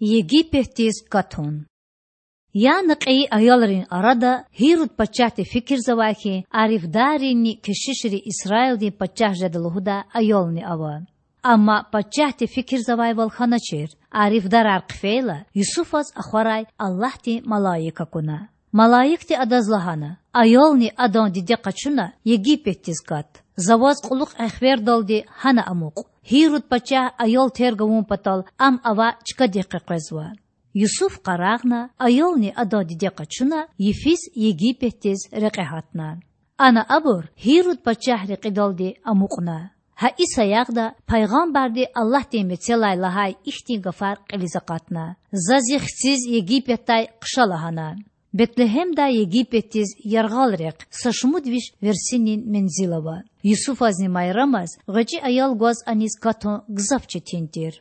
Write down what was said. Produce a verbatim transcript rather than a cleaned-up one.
Египетдиз катун. Яна кьейи аялрин арада Гьируд пачагьди фикирзавай хьи, арифдарринни кешишри Исраилдин пачагь жеда лугьудай аялни ава. Амма пачагьди фикирзавайвал хьаначир. Арифдарар хъфейла, Юсуфаз ахварай Аллагьдин малаик акуна. Малаикди адаз лагьана: Аялни адан диде къачуна Египетдиз кат. За ваз кьулухъ эхвердалди гьана амукь. Гьируд пачагь аял терг авун патал ам авай чкадихъ къекъвезва. Юсуф къарагъна, аялни адан диде къачуна, йифиз Египетдиз рекье гьатна. Ана абур Гьируд пачагь рекьидалди амукьна. Гьа и саягъда пайгъамбарди Аллагьдин мецелай лагьай ихьтин гафар кьилиз акъатна: За зи хциз Египетдай хъша лагьана. Бетлегьемдай Египетдиз яргъал рехъ са шумуд виш версинин мензил ава. Юсуфазни Майрамаз гъвечӀи аял гваз аниз катун гзаф четин тир.